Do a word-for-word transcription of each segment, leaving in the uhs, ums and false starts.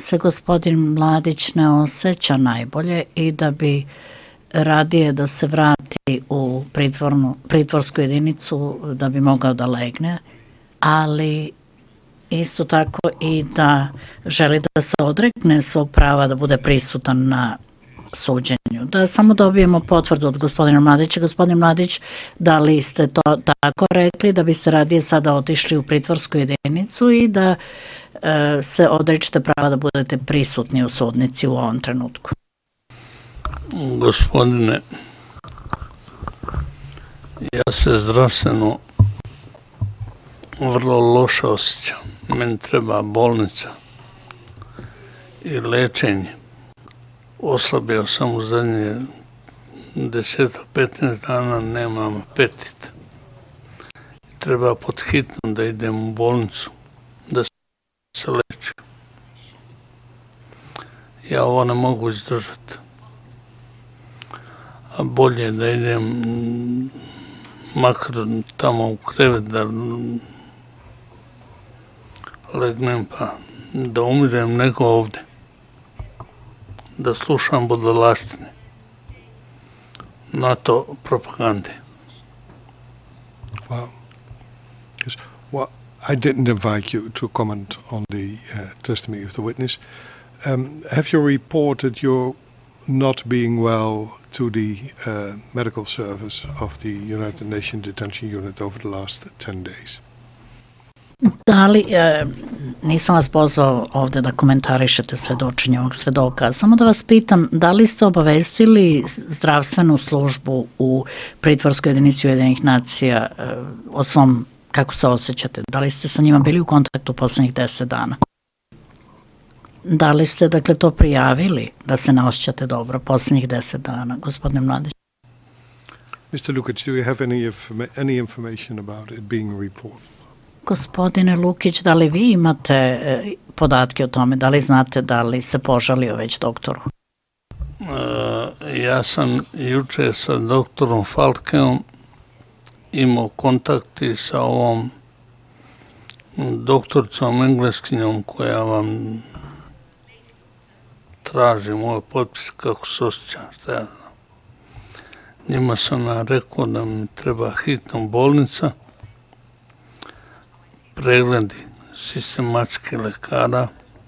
se gospodin Mladić ne osjeća najbolje i da bi radije da se vrati u pritvornu, pritvorsku jedinicu da bi mogao da legne, ali isto tako i da želi da se odrekne svog prava da bude prisutan na suđenju. Da samo dobijemo potvrdu od gospodina Mladića. Gospodin Mladić, da li ste to tako rekli, da biste radije sada otišli u pritvorsku jedinicu i da e, se odričete prava da budete prisutni u sudnici u ovom trenutku? Gospodine, ja se zdravstveno vrlo loše osjećam. Meni treba bolnica i lečenje. Oslabio sam u zadnje deset do petnaest dana, nemam apetit. Treba pod hitno da idem u bolnicu, da se lečim. Ja ovo ne mogu izdržati. A bolje je da idem makar tamo u krevet, da legnem pa da umirem nego ovde. Da slušam budalaštine, NATO propagande. Well, yes. Well, I didn't invite you to comment on the uh, testimony of the witness. Um, have you reported your not being well to the uh, medical service of the United Nations Detention Unit over the last ten days? Da li, e, nisam vas pozvao ovde da komentarišete svedočenje ovog svedoka, samo da vas pitam, da li ste obavestili zdravstvenu službu u pritvorskoj jedinici Ujedinjenih nacija e, o svom, kako se osjećate? Da li ste sa njima bili u kontaktu poslednjih deset dana? Da li ste, dakle, to prijavili, da se ne osjećate dobro poslednjih deset dana, gospodine Mladić? mister Lukic, do you have any, any information about it being reported? Gospodine Lukić, da li vi imate e, podatke o tome, da li znate da li se požalio već doktoru? E, ja sam juče sa doktorom Falkeom imao kontakti sa ovom doktoricom engleskinjom koja vam traži moj potpis kako se osjećam, šta ja znam. Njima sam ja rekao da mi treba hitno bolnica, pregledi sistematski lekara,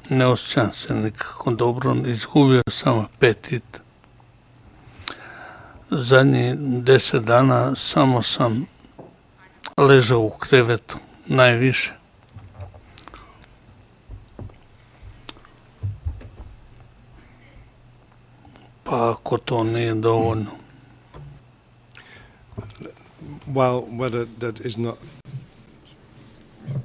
ne osjećam se nikako dobro, izgubio sam apetit. Zadnjih deset dana samo sam ležao u krevetu, najviše. Pa ako to nije dovoljno. Well, whether that is not...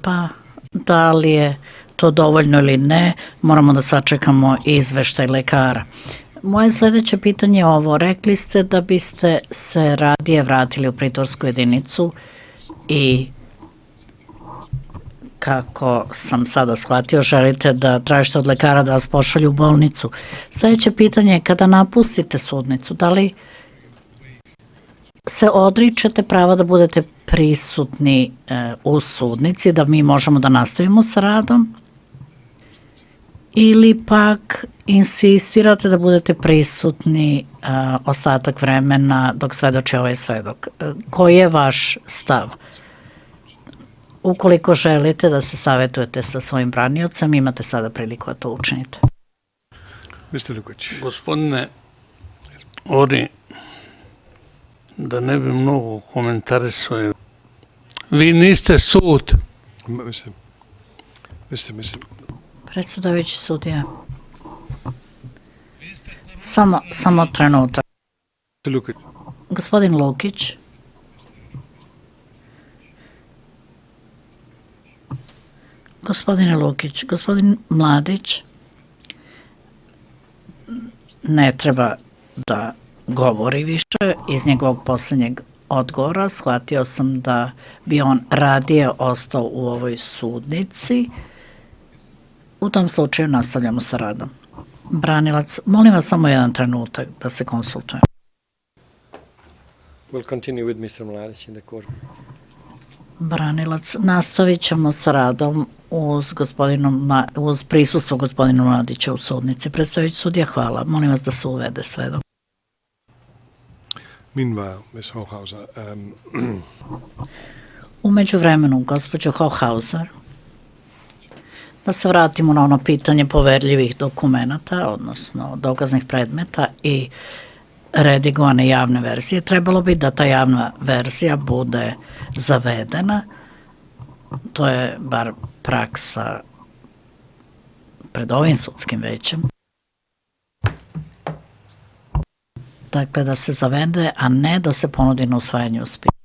Pa, da li je to dovoljno ili ne, moramo da sačekamo izveštaj lekara. Moje sledeće pitanje je ovo. Rekli ste da biste se radije vratili u pritvorsku jedinicu i kako sam sada shvatio, želite da tražite od lekara da vas pošalju u bolnicu. Sledeće pitanje je, kada napustite sudnicu, da li se odričete prava da budete prisutni e, u sudnici, da mi možemo da nastavimo sa radom, ili pak insistirate da budete prisutni e, ostatak vremena dok svedoči ovaj svedok? E, koji je vaš stav? Ukoliko želite da se savjetujete sa svojim braniocem, imate sada priliku da to učinite. mister Lukić. Gospodine Ori, da ne bi mnogo komentarisao, vi niste sud. Mislim, mislim, mislim. Predsedavajući sudija. Samo, samo trenutak. Lukić. Gospodin Lukić. Gospodine Lukić, gospodin Mladić ne treba da govori više. Iz njegovog poslednjeg odgovora shvatio sam da bi on radije ostao u ovoj sudnici. U tom slučaju nastavljamo sa radom. Branilac, molim vas samo jedan trenutak da se konsultujemo. We'll continue with mister Mladić in the court. branilac. Nastavit ćemo sa radom uz, gospodinom, uz prisustvo gospodinu Mladića u sudnici. Predstavljajući sudija, hvala. Molim vas da se uvede svedok. Meanwhile, Miz Hochhauser, um, U međuvremenu, gospođo Hochhauser, da se vratimo na ono pitanje poverljivih dokumenata, odnosno dokaznih predmeta i redigovane javne verzije. Trebalo bi da ta javna verzija bude zavedena. To je bar praksa pred ovim sudskim većem. Dakle, da se zavede, a ne da se ponudi na usvajanje u spisu.